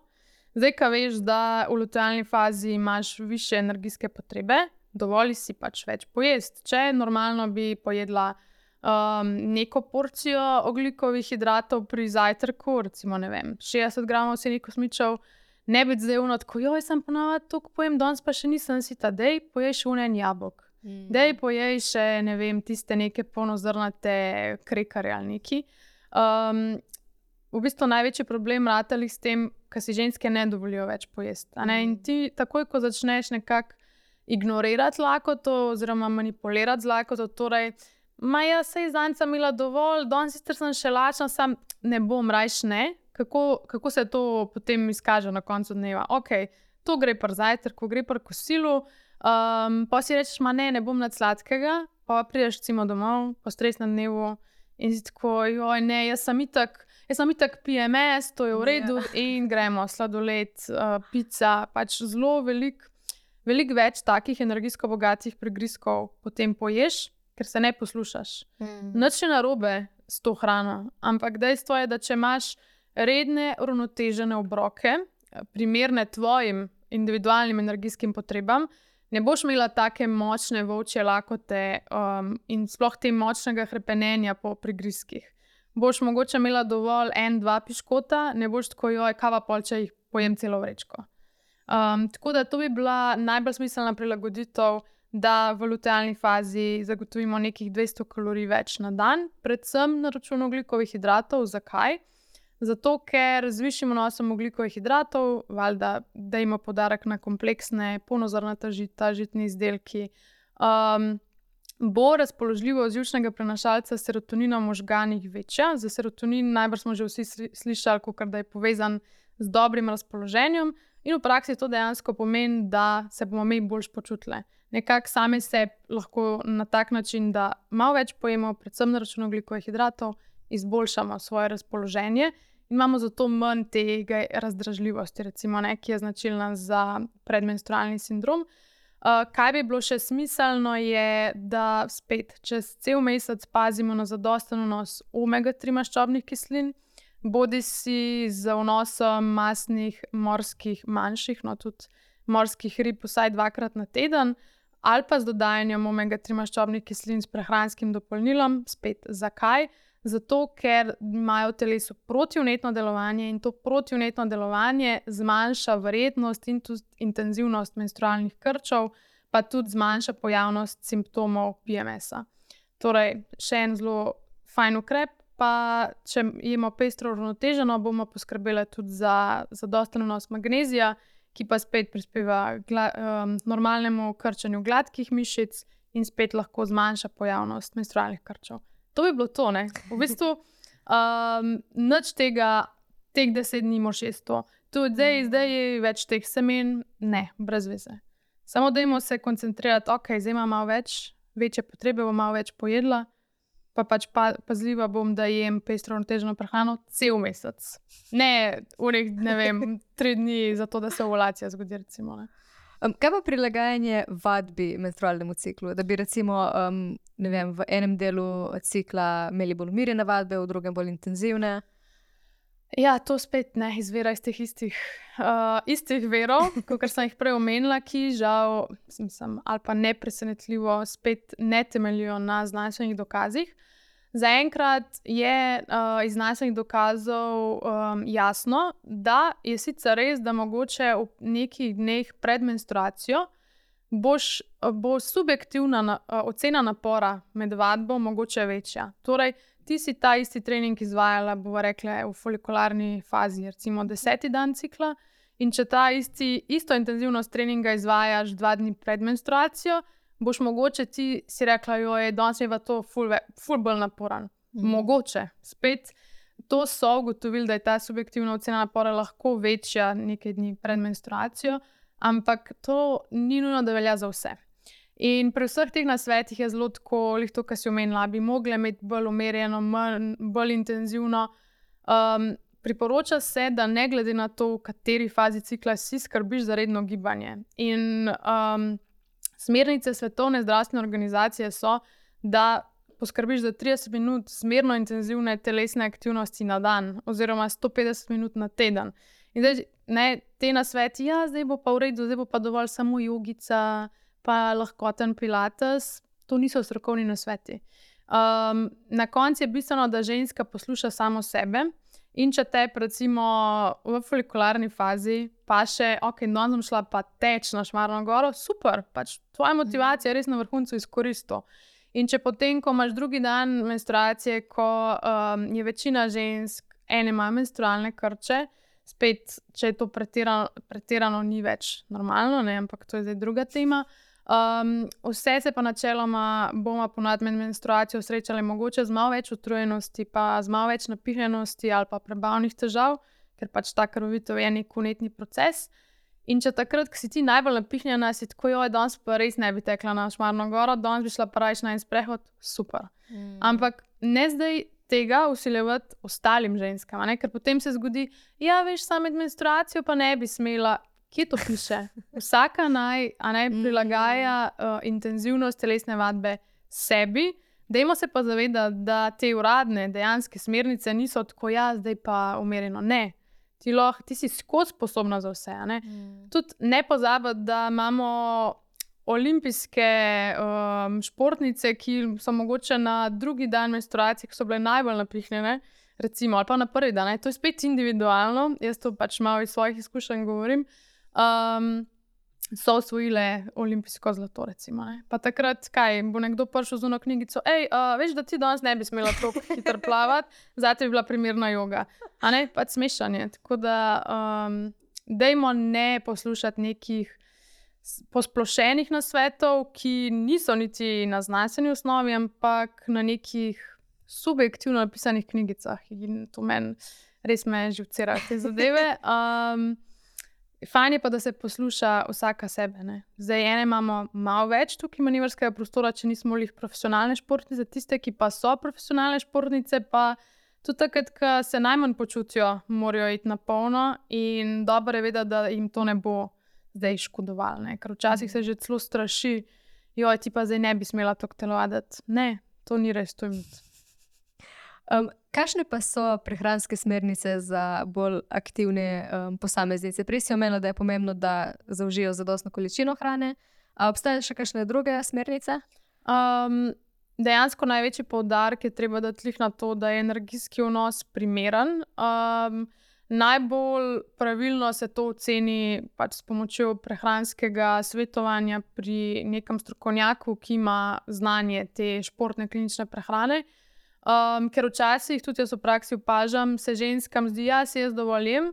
Zdaj, ko veš, da v lutealni fazi imaš više energijske potrebe, dovolj si pač več pojesti. Če normalno bi pojedla um, neko porcijo ogljikovih hidratov pri zajtrku, recimo ne vem, šestdeset gramov senih kosmičev, ne biti zdaj uno, tako joj, sem ponavadi toliko pojem, danes pa še nisem sita, dej pojej še unen jabolk. Mm. Dej pojej še, ne vem, tiste neke polnozrnate krekarje ali neki. Um, v bistvu največji problem ratali s tem, ker si ženske ne dovolijo več pojesti. Mm. In ti takoj, ko začneš nekako ignorirati lakoto oziroma manipulirati z lakoto, torej, ma ja, sej zanca imela dovolj, danes sicer sem še lačna, sam ne bom, rajš ne. Kako, kako se to potem izkaže na koncu dneva? Ok, to gre pri zajtrku, gre pri kosilu, um, pa si rečeš, ma ne, ne bom nad sladkega, pa prideš recimo domov po stresnem dnevu in si tako, joj ne, jaz sem itak, jaz sem itak P M S, to je v redu yeah. in gremo, sladoled, uh, pica, pač zelo veliko velik več takih energijsko bogatih prigrizkov potem poješ, ker se ne poslušaš. Mm. Nič je narobe s to hrano, ampak dejstvo je, da če imaš redne, uravnotežene obroke, primerne tvojim individualnim energijskim potrebam, ne boš imela take močne volčje lakote um, in sploh te močnega hrepenenja po prigrizkih. Boš mogoče imela dovolj en, dva piškota, ne boš tako, joj, kava pol, če jih pojem celo vrečko. Um, tako da to bi bila najbolj smiselna prilagoditev, da v lutealni fazi zagotovimo nekih dvesto kalorij več na dan, predvsem na račun ogljikovih hidratov. Zakaj? Zato, ker z višjim vnosom ogljikovih hidratov, valjda dajmo poudarek na kompleksne, polnozrnata žita, žitni izdelki, um, bo razpoložljivost živčnega prenašalca serotonina v možganih večja. Za serotonin najbrž smo že vsi slišali, kakor da je povezan z dobrim razpoloženjem, in v praksi to dejansko pomeni, da se bomo mi boljš počutili. Nekako same se lahko na tak način, da malo več pojemo, predvsem na račun ogljikovih hidratov, izboljšamo svoje razpoloženje in imamo zato manj tega razdražljivosti, recimo, ne, ki je značilna za predmenstrualni sindrom. Uh, kaj bi bilo še smiselno je, da spet čez cel mesec pazimo na zadosten vnos omega tri maščobnih kislin, bodi si z vnosom masnih morskih manjših, no tudi morskih rib vsaj dvakrat na teden, ali pa z dodajanjem omega tri maščobnih kislin s prehranskim dopolnilom. Spet zakaj? Zato, ker imajo v telesu protivnetno delovanje in to protivnetno delovanje zmanjša verjetnost in tudi intenzivnost menstrualnih krčev, pa tudi zmanjša pojavnost simptomov P M S-a. Torej, še en zelo fajn ukrep, pa če jemo pestro uravnoteženo, bomo poskrbeli tudi za zadosten vnos magnezija, ki pa spet prispeva gla, um, normalnemu krčenju gladkih mišic in spet lahko zmanjša pojavnost menstrualnih krčev. To bi bilo to, ne? V bistvu, um, nič tega, teh deset dni moš jesti to. Tudi zdaj, zdaj je več teh semen, ne, brez veze. Samo dajmo se koncentrirati, ok, zdaj imam malo več, večje potrebe, bom malo več pojedla, pa pač pa, pazljiva bom, da jem pestro uravnoteženo prehrano cel mesec. Ne, unih, ne vem, tri dni za to, da se ovulacija zgodi, recimo, ne. Um, kaj pa prilagajanje vadbi menstrualnemu ciklu? Da bi recimo um, ne vem, v enem delu cikla imeli bolj umirjene vadbe, v drugem bolj intenzivne? Ja, to spet ne izvira iz teh istih, uh, istih verov, kot sem jih prej omenila, ki žal, mislim, ali pa nepresenetljivo spet ne temeljijo na znanstvenih dokazih. Zaenkrat je uh, iz znanstvenih dokazov um, jasno, da je sicer res, da mogoče v nekih dneh pred menstruacijo boš, bo subjektivna na, uh, ocena napora med vadbo mogoče večja. Torej, ti si ta isti trening izvajala, bova rekla, v folikularni fazi, recimo deseti dan cikla, in če ta isti, isto intenzivnost treninga izvajaš dva dni pred menstruacijo, boš mogoče ti si rekla, joj, danes je pa to ful, ful bolj naporan. Mm. Mogoče. Spet to so ugotovili, da je ta subjektivna ocena napora lahko večja nekaj dni pred menstruacijo, ampak to ni nujno, da velja za vse. In pri vseh teh nasvetih je zelo tako, lih to, kar si omenila, bi mogli imeti bolj umerjeno, manj, bolj intenzivno. Um, priporoča se, da ne glede na to, v kateri fazi cikla si, skrbiš za redno gibanje. In um, smernice Svetovne zdravstvene organizacije so, da poskrbiš za trideset minut zmerno intenzivne telesne aktivnosti na dan, oziroma sto petdeset minut na teden. In zdaj, ne, te nasveti, ja, zdaj bo pa v redu, zdaj bo pa dovolj samo jogica, pa lahkoten pilates, to niso strokovni nasveti. Um, na koncu je bistveno, da ženska posluša samo sebe. In če te, recimo, v folikularni fazi pa še, ok, danes bom šla pa teč na Šmarno goro, super, pač tvoja motivacija je res na vrhuncu, izkoristi. In če potem, ko imaš drugi dan menstruacije, ko um, je večina žensk, ene ima menstrualne krče, spet, če je to pretirano, pretirano ni več normalno, ne, ampak to je zdaj druga tema. Um, vse se pa načeloma bomo ponad med menstruacijo srečali mogoče z malo več utrujenosti, pa z malo več napihnjenosti ali pa prebavnih težav, ker pač ta krvavitev je nek vnetni proces. In če takrat, ko si ti najbolj napihnjena, si tako, joj, danes pa res ne bi tekla na Šmarno goro, danes bi šla pa rajš na en sprehod, super. Mm. Ampak ne zdaj tega vsiljevati ostalim ženskam, ne? Ker potem se zgodi, ja, veš, samo med menstruacijo pa ne bi smela. Kje to piše? Vsaka naj, a naj prilagaja uh, intenzivnost telesne vadbe sebi. Dajmo se pa zavedati, da te uradne, dejanske smernice niso tako, ja, zdaj pa umerjeno. Ne. Ti, loh, ti si skozi sposobna za vse. Ne? Mm. Tudi ne pozabiti, da imamo olimpijske um, športnice, ki so mogoče na drugi dan menstruacije, ki so bile najbolj napihnjene, recimo, ali pa na prvi dan. Ne? To je spet individualno. Jaz to pač malo iz svojih izkušenj govorim. Um, so osvojile olimpijsko zlato, recimo. Ne? Pa takrat, kaj, bo nekdo prišel z ono knjigico, ej, uh, veš, da ti danes ne bi smela tako hitro plavati, zate bi bila primerna joga. A ne, pač smešanje. Tako da, um, dajmo ne poslušati nekih posplošenih nasvetov, ki niso niti na znanstveni osnovi, ampak na nekih subjektivno napisanih knjigicah. In to meni res me živcira te zadeve. Um, Fajn je pa, da se posluša vsaka sebe. Ne? Zdaj, ene imamo malo več tukaj manevrskega prostora, če nismo lih profesionalne športnice, tiste, ki pa so profesionalne športnice, pa tudi takrat, ko se najmanj počutijo, morajo iti na polno in dobro je vedeti, da jim to ne bo zdaj škodovalo. Ne? Ker včasih se že celo straši, joj, ti pa zdaj ne bi smela tako telovaditi. Ne, to ni res, to je mit. Um, kakšne pa so prehranske smernice za bolj aktivne um, posameznice? Prej si omenila, da je pomembno, da zaužijo zadostno količino hrane. A obstajajo še kakšne druge smernice? Um, dejansko največji poudarek je treba dati na to, da je energijski vnos primeren. Um, najbolj pravilno se to oceni pač s pomočjo prehranskega svetovanja pri nekem strokovnjaku, ki ima znanje te športne klinične prehrane. Um, ker včasih, tudi jaz v praksi opažam, se ženskam zdi, ja, si jaz dovolj jem,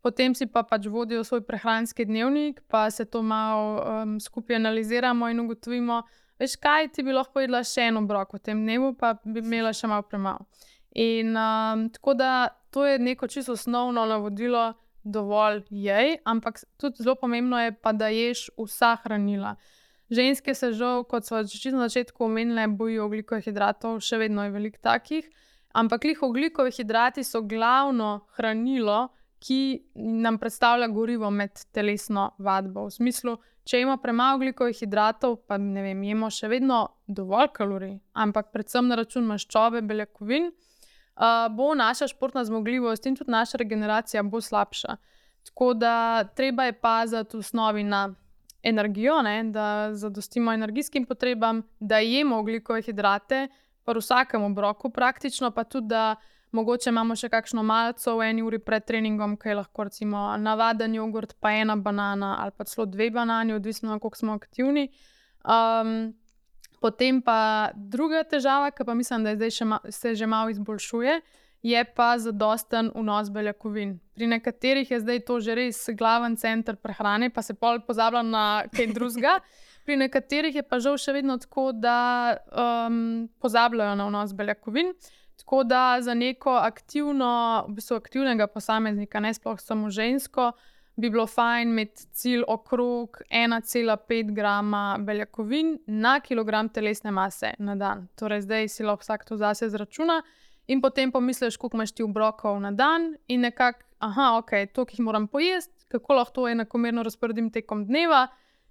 potem si pa pač vodijo svoj prehranski dnevnik, pa se to malo um, skupaj analiziramo in ugotovimo, veš kaj, ti bi lahko jedla še en obrok v tem dnevu, pa bi imela še malo premalo. In um, tako da to je neko čisto osnovno navodilo, dovolj jej, ampak tudi zelo pomembno je pa, da ješ vsa hranila. Ženske se žal, kot smo že na začetku omenili, bojijo ogljikovih hidratov, še vedno je veliko takih, ampak lih ogljikovi hidrati so glavno hranilo, ki nam predstavlja gorivo med telesno vadbo. V smislu, če imamo premalo ogljikovih hidratov, pa ne vem, jemo še vedno dovolj kalorij, ampak predvsem na račun maščobe, beljakovin, uh, bo naša športna zmogljivost in tudi naša regeneracija bo slabša. Tako da treba je paziti v osnovi na energijo, ne, da zadostimo energijskim potrebam, da jemo ogljikove hidrate, pa v vsakem obroku praktično, pa tudi, da mogoče imamo še kakšno malico v eni uri pred treningom, ki je lahko recimo navaden jogurt, pa ena banana ali pa celo dve banani, odvisno koliko smo aktivni. Um, potem pa druga težava, ki pa mislim, da je zdaj še ma- se že malo izboljšuje, je pa zadosten vnos beljakovin. Pri nekaterih je zdaj to že res glaven center prehrane, pa se pol pozablja na kaj drugega. Pri nekaterih je pa žal še vedno tako, da um, pozabljajo na vnos beljakovin. Tako da za neko aktivno, v bistvu aktivnega posameznika, ne sploh samo žensko, bi bilo fajn imeti cilj okrog ena cela pet grama beljakovin na kilogram telesne mase na dan. Torej zdaj si lahko vsak to zase izračuna. In potem pomisliš, koliko imaš ti obrokov na dan in nekako, aha, ok, toliko jih moram pojesti, kako lahko to enakomerno razporedim tekom dneva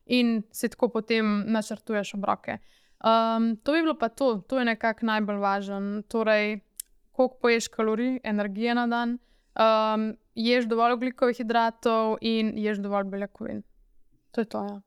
in si tako potem načrtuješ obroke. Um, to bi bilo pa to, to je nekako najbolj važno. Torej, koliko poješ kalorij, energije na dan, um, ješ dovolj ogljikovih hidratov in ješ dovolj beljakovin. To je to, ja.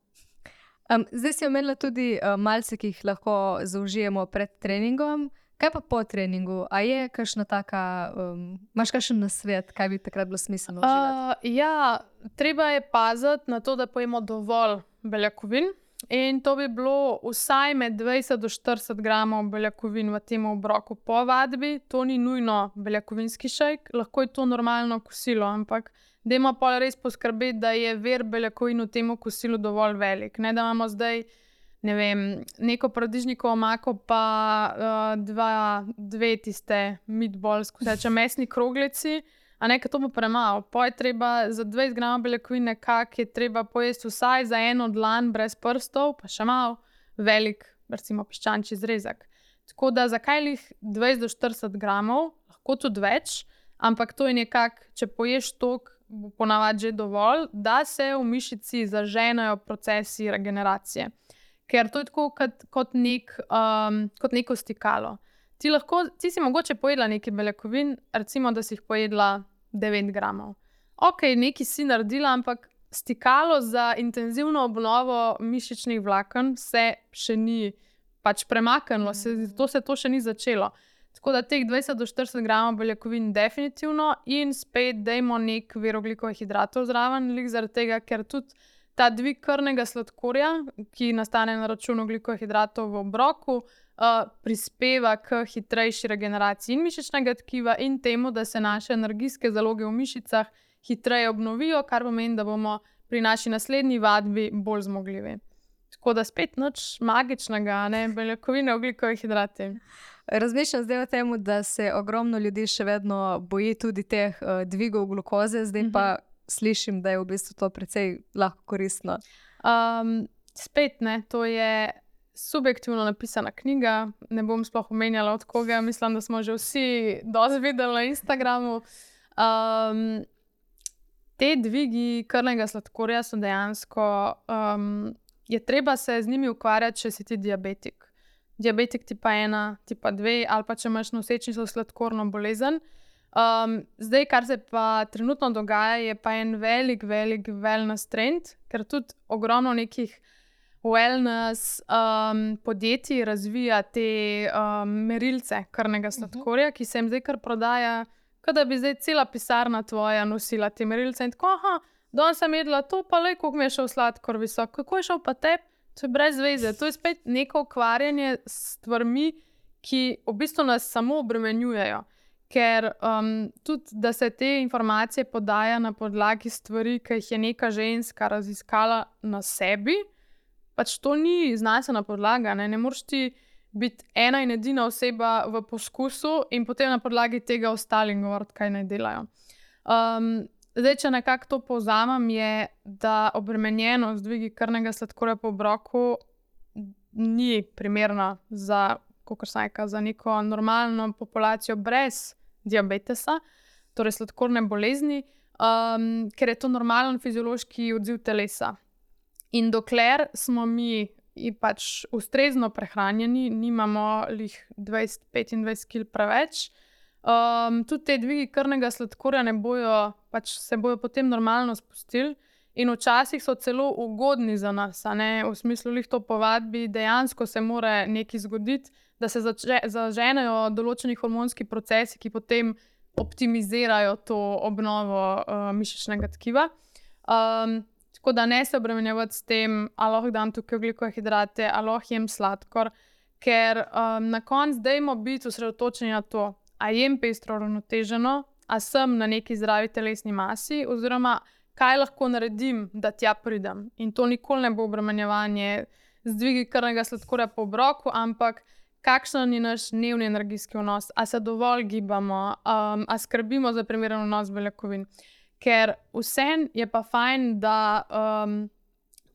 Um, zdaj si omenila tudi uh, malce, ki jih lahko zaužijemo pred treningom. Kaj pa po treningu? A je kakšna taka, um, imaš kakšen nasvet, kaj bi takrat bilo smiselno uživati? Uh, ja, treba je paziti na to, da pojemo dovolj beljakovin in to bi bilo vsaj med dvajset do štirideset gramov beljakovin v tem obroku po vadbi. To ni nujno beljakovinski šejk, lahko je to normalno kosilo, ampak dajmo pa res poskrbeti, da je vir beljakovin v tem kosilu dovolj velik. Ne, da imamo zdaj ne vem, neko paradižnikovo omako pa uh, dva, dve tiste meatballs, ko se reče mesni kroglici, a ne, to bo premalo. Po je treba za dvajset gramov beljakovin nekako je treba pojesti vsaj za eno dlan brez prstov, pa še malo velik, recimo piščančji zrezek. Tako da zakaj lih dvajset do štirideset gramov, lahko tudi več, ampak to je nekako, če poješ toliko, bo ponavadi že dovolj, da se v mišici zaženejo procesi regeneracije. Ker to je tako kot, kot, nek, um, kot neko stikalo. Ti, lahko, ti si mogoče pojedla nekaj beljakovin, recimo, da si jih pojedla devet gramov. Ok, nekaj si naredila, ampak stikalo za intenzivno obnovo mišičnih vlaken se še ni pač premaknilo, se, to se to še ni začelo. Tako da teh dvajset do štirideset gramov beljakovin definitivno in spet dajmo nek vir ogljikovih hidratov zraven, zaradi tega, ker tudi ta dvig krvnega sladkorja, ki nastane na račun ogljikohidratov v obroku, uh, prispeva k hitrejši regeneraciji in mišičnega tkiva in temu, da se naše energijske zaloge v mišicah hitreje obnovijo, kar pomeni, da bomo pri naši naslednji vadbi bolj zmogljivi. Tako da spet nič magičnega, ne, beljakovine, ogljikohidrati. Razmišljam zdaj o tem, da se ogromno ljudi še vedno boji tudi teh uh, dvigov glukoze, zdaj pa uh -huh. slišim, da je v bistvu to precej lahko koristno. Um, spet ne, to je subjektivno napisana knjiga, ne bom sploh omenjala od koga, mislim, da smo že vsi dosti videli na Instagramu. Um, te dvigi krvnega sladkorja so dejansko, um, je treba se z njimi ukvarjati, če si ti diabetik. Diabetik tipa ena, tipa dve ali pa če imaš nosečnico sladkorno bolezen. Um, zdaj, kar se pa trenutno dogaja, je pa en velik, velik wellness trend, ker tudi ogromno nekih wellness um, podjetij razvija te um, merilce krvnega sladkorja, uh-huh. ki se jim zdaj kar prodaja, kot da bi zdaj cela pisarna tvoja nosila te merilce in tako, aha, danes sem jedla to, pa lej, koliko mi je šel sladkor visok, kako je šel pa tebi? To je brez veze, to je spet neko ukvarjanje s stvarmi, ki v bistvu nas samo obremenjujejo. Ker um, tudi, da se te informacije podaja na podlagi stvari, ki jih je neka ženska raziskala na sebi, pač to ni znanstvena podlaga. Ne, ne moreš ti biti ena in edina oseba v poskusu in potem na podlagi tega ostalim govoriti, kaj naj delajo. Um, Zdaj, če nekako to povzamem, je, da obremenjenost dvigi krvnega sladkorja po obroku ni primerna za, kakor sem rekla, za neko normalno populacijo brez diabetesa, torej sladkorne bolezni, um, ker je to normalen fiziološki odziv telesa. In dokler smo mi pač ustrezno prehranjeni, nimamo lih dvajset do petindvajset kilogramov preveč, Um, tudi te dvigi krvnega sladkorja ne bojo, pač se bojo potem normalno spustili in včasih so celo ugodni za nas, a ne, v smislu lih to po vadbi, dejansko se mora nekaj zgoditi, da se zače, zaženejo določeni hormonski procesi, ki potem optimizirajo to obnovo uh, mišičnega tkiva. Um, tako da ne se obremenjevati s tem, ali lahko dam tukaj ogljikohidrate, ali lahko jem sladkor, ker um, na koncu dajmo biti osredotočeni na to, a jem pestro uravnoteženo, a sem na neki zdravi telesni masi, oziroma kaj lahko naredim, da tja pridem. In to nikoli ne bo obremenjevanje z dvigi krvnega sladkorja po obroku, ampak kakšen je naš dnevni energijski vnos, a se dovolj gibamo, um, a skrbimo za primeren vnos beljakovin. Ker vseeno je pa fajn, da um,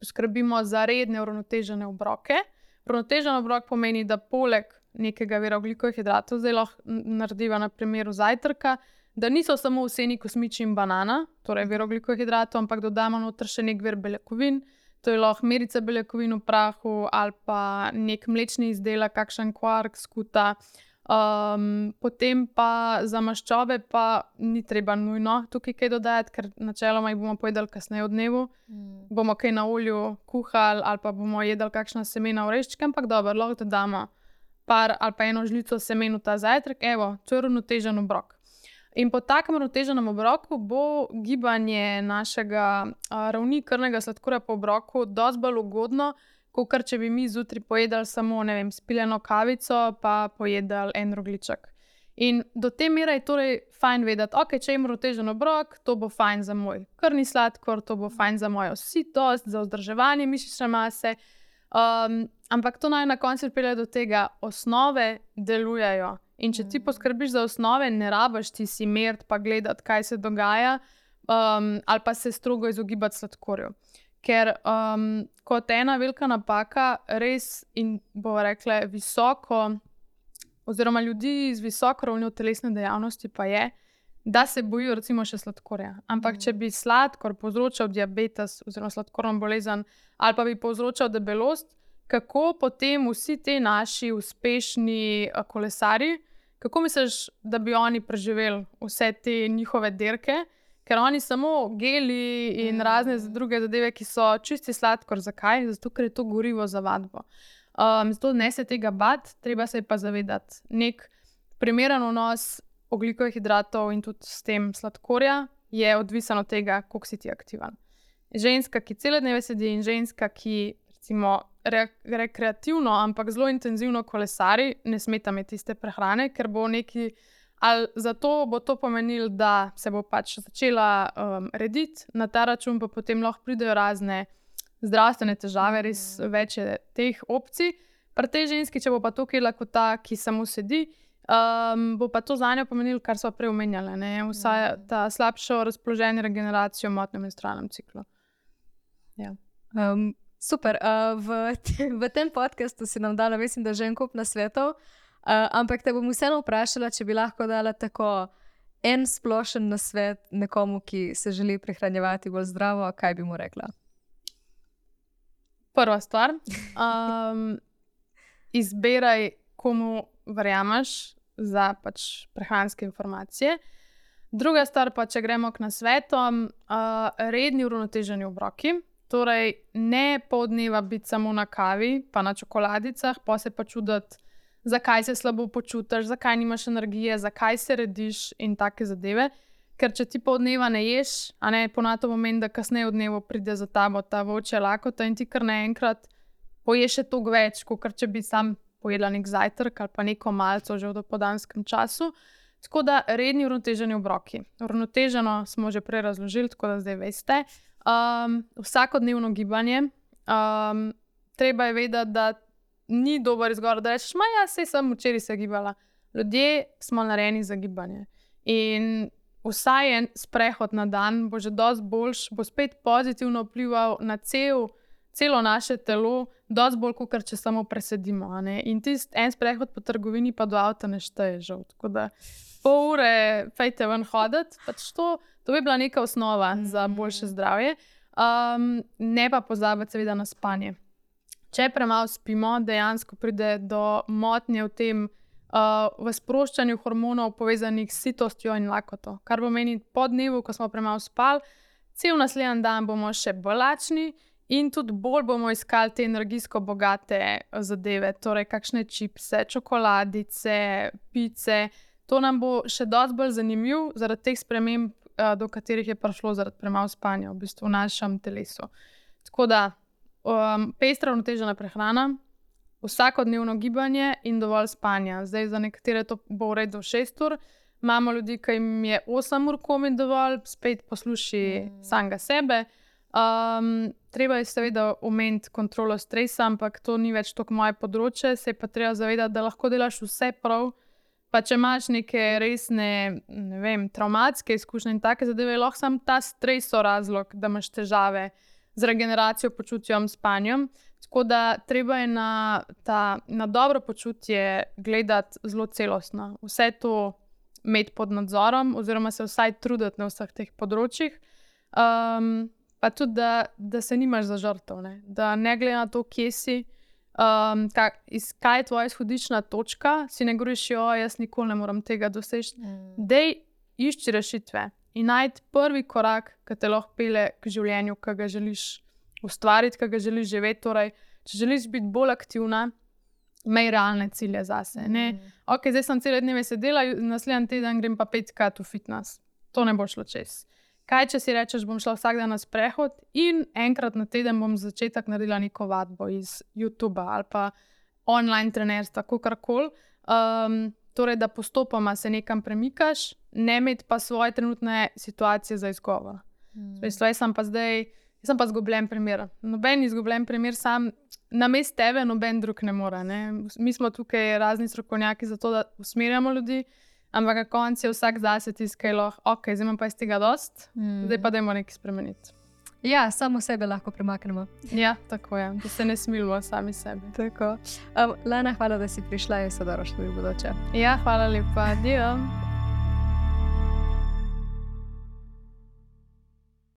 skrbimo za redne uravnotežene obroke. Uravnotežen obrok pomeni, da poleg nekega vira ogljikohidratov, zdaj lahko narediva na primeru zajtrka, da niso samo vseni kosmiči in banana, torej vir ogljikohidratov, ampak dodamo noter še nek vir beljakovin, to je lahko merica beljakovin v prahu ali pa nek mlečni izdelek, kakšen kvark, skuta. Um, potem pa za maščobe pa ni treba nujno tukaj kaj dodajati, ker načeloma jih bomo pojedali kasneje v dnevu, mm. bomo kaj na olju kuhali ali pa bomo jedli kakšna semena oreščke, ampak dobro, lahko dodamo par ali pa eno žlico semen v ta zajtrk, evo, to je uravnotežen obrok. In po takem uravnoteženem obroku bo gibanje našega a, ravni krvnega sladkorja po obroku dosti bolj ugodno, kot če bi mi zjutraj pojedali samo, ne vem, spiljeno kavico, pa pojedali en rogljiček. In do te mere je torej fajn vedeti, ok, če imam uravnotežen obrok, to bo fajn za moj krvni sladkor, to bo fajn za mojo sitost, za vzdrževanje mišične mase. Um, ampak to naj na koncu pripelje do tega, osnove delujejo. In če ti poskrbiš za osnove, ne rabiš ti si meriti pa gledati, kaj se dogaja, um, ali pa se strogo izogibati sladkorju. Ker um, kot ena velika napaka, res in bo rekla visoko, oziroma ljudi z visoko ravnjo telesne dejavnosti pa je, da se bojijo recimo še sladkorja. Ampak mm. če bi sladkor povzročal diabetes oziroma sladkorno bolezen ali pa bi povzročal debelost, kako potem vsi te naši uspešni kolesarji, kako misliš, da bi oni preživeli vse te njihove dirke? Ker oni samo geli in mm. razne druge zadeve, ki so čisti sladkor. Zakaj? Zato, ker je to gorivo za vadbo. Um, zato ne se tega bati, treba se pa zavedati. Nek primeren vnos ogljikohidratov in tudi s tem sladkorja je odvisen od tega, koliko si ti aktiven. ženska, ki cele dneve sedi in ženska, ki recimo re, rekreativno, ampak zelo intenzivno kolesari, ne smeta imeti iste prehrane, ker bo neki, ali zato bo to pomenilo, da se bo pač začela um, rediti, na ta račun pa potem lahko pridejo razne zdravstvene težave, res več je teh opcij. Pri tej ženski, če bo pa to jedla kot ta, ki samo sedi, um, bo pa to za njo pomenilo, kar so prej omenjale, ne? Vsaj ta slabšo razpoloženje, regeneracijo, motnjo v menstrualnem ciklu. Ja. Um, super. Uh, v, te, v tem podcastu si nam dala, mislim, da že en kup nasvetov, uh, ampak te bom vseeno vprašala, če bi lahko dala tako en splošen nasvet nekomu, ki se želi prehranjevati bolj zdravo, kaj bi mu rekla? Prva stvar, um, izberaj, komu verjameš za pač prehranske informacije. Druga stvar pa, če gremo k nasvetom, uh, redni uravnoteženi obroki. Torej, ne pol dneva biti samo na kavi, pa na čokoladicah, pa se pa čuditi, zakaj se slabo počutiš, zakaj nimaš energije, zakaj se rediš in take zadeve. Ker če ti pol dneva ne ješ, a ne, ponato pomeni, da kasneje v dnevu pride za tabo ta vroča lakota in ti kar naenkrat poješ še toliko več, kot če bi sam pojedla nek zajtrk ali pa neko malco že v dopoldanskem času. Tako da redni uravnoteženi obroki. Uravnoteženo smo že prej razložili, tako da zdaj veste. Um, vsakodnevno gibanje. Um, treba je vedeti, da ni dober izgovor, da rečeš, ma ja, sej sem včeraj se gibala. Ljudje smo narejeni za gibanje. In vsaj en sprehod na dan bo že dosti boljš, bo spet pozitivno vplival na cel, celo naše telo, dosti bolj, kot če samo presedimo. A ne? In tisti en sprehod po trgovini pa do avta ne šteje žal. Tako da pol ure fejte ven hoditi, pač to, to bi bila neka osnova za boljše zdravje. Um, ne pa pozabiti seveda na spanje. Če premalo spimo, dejansko pride do motnje v tem, Uh, v sproščanju hormonov povezanih s sitostjo in lakoto. Kar pomeni, po dnevu, ko smo premalo spali, cel naslednji dan bomo še bolj lačni in tudi bolj bomo iskali te energijsko bogate zadeve, torej kakšne čipse, čokoladice, pice. To nam bo še dosti bolj zanimiv zaradi teh sprememb, uh, do katerih je prišlo zaradi premalo spanja v bistvu v našem telesu. Tako da, um, pestra uravnotežena prehrana, vsakodnevno gibanje in dovolj spanja. Zdaj za nekatere to bo v redu šest ur, imamo ljudi, ki jim je osem ur komaj dovolj, spet posluši mm. samega sebe. Um, treba je seveda omeniti kontrolo stresa, ampak to ni več toliko moje področje, se je pa treba zavedati, da lahko delaš vse prav, pa če imaš neke resne, ne vem, travmatske izkušnje in take zadeve, lahko sam ta stres so razlog, da imaš težave z regeneracijo, počutjem, spanjem. Tako da treba je na, ta, na dobro počutje gledati zelo celostno. Vse to imeti pod nadzorom, oziroma se vsaj truditi na vseh teh področjih. Um, pa tudi, da, da se nimaš za žrtev, ne? Da ne glede na to, kje si, um, kak, iz, kaj je tvoja izhodiščna točka, si ne govoriš, jo, jaz nikoli ne morem tega doseči. Mm. Dej, išči rešitve in najti prvi korak, ki te lahko pelje k življenju, ki ga želiš ustvariti, kaj ga želiš živeti. Torej, če želiš biti bolj aktivna, imej realne cilje zase. Ne? Ok, zdaj sem cele dneve sedela, naslednji teden grem pa petkrat v fitness. To ne bo šlo čez. Kaj, če si rečeš, bom šla vsak dan na sprehod in enkrat na teden bom začetek naredila neko vadbo iz YouTubea ali pa online trenerstva, kakorkoli. Um, torej, da postopoma se nekam premikaš, ne imeti pa svoje trenutne situacije za izgovor. Mm. Jaz sem pa zdaj Jaz sem pa zgubljen primer. Noben izgubljen primer, sam namesto tebe, noben drug ne more. Ne? Mi smo tukaj razni strokovnjaki za to, da usmerjamo ljudi, ampak na koncu je vsak zase tiskalo, ok, zdaj imam pa iz tega dost, mm. zdaj pa dajmo nekaj spremeniti. Ja, samo sebe lahko premaknemo. Ja, tako je, da se ne smilimo sami sebi. Tako. Um, Lana, hvala, da si prišla in se dobro šli v bodoče. Ja, hvala lepa. Adijo.